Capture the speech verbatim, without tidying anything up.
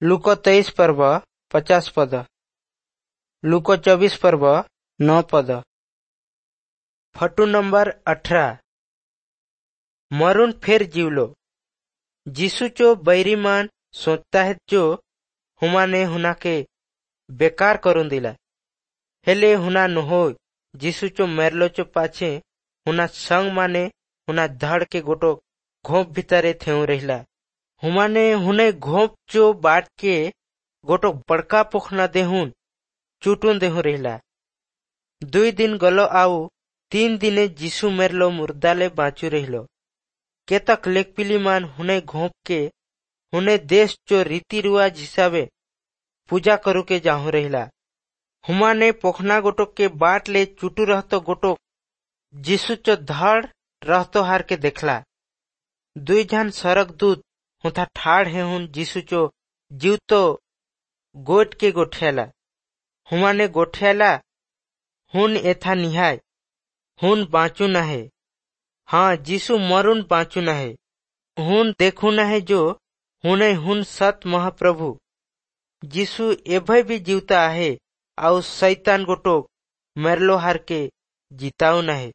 ଲୁକ ତେଇଶ ପର୍ବ ପଚାଶ ପଦ। ଲୁକ ଚବିଶ ପର୍ବ ନଅ ପଦ। ଫଟୁ ନମ୍ବର ଅଠର। मरुन फिर जीवलो। जीसु चो बैरीमान सोचता है जो हुमाने हुना के बेकार करून दिला। हेले हुना नहो जीसु चो मेरलो चो पाछे हुना संग माने हुना धड़ के गोटो घोप भीतरे थेउ रहिला। हुमाने हुने घोप चो बाट के गोटो बड़का पोखना देहुन चुटुन देहु रहिला। दुई दिन गलो आउ तीन दिने जीसु मेरलो मुर्दाले बाँचू रहिलो। केतक लेकपिली मान हुने घोप के हुने देश चो रीति रिवाज हिसाबे पूजा करू के जाहु रहिला। हुमाने पोखना गोटो के बाट ले चुटू रहतो गोटो जीसु चो धड़ रहतो हार के देखला। दुई झन सरक दूत हुथा ठाड़ हे हुन जीसु चो जीवतो गोट के गोठियाला। हुमाने गोठियाला हुन एथा निहाय हुन बाँचू नहे। हाँ, जीसु मरुन बाँचू नहे। हुन देखू नहे जो हुने हुन सत महाप्रभु। जीसु एभय भी जीवता आहे आउ शैतान गोटो मेरलो हार के जिताऊ नहे।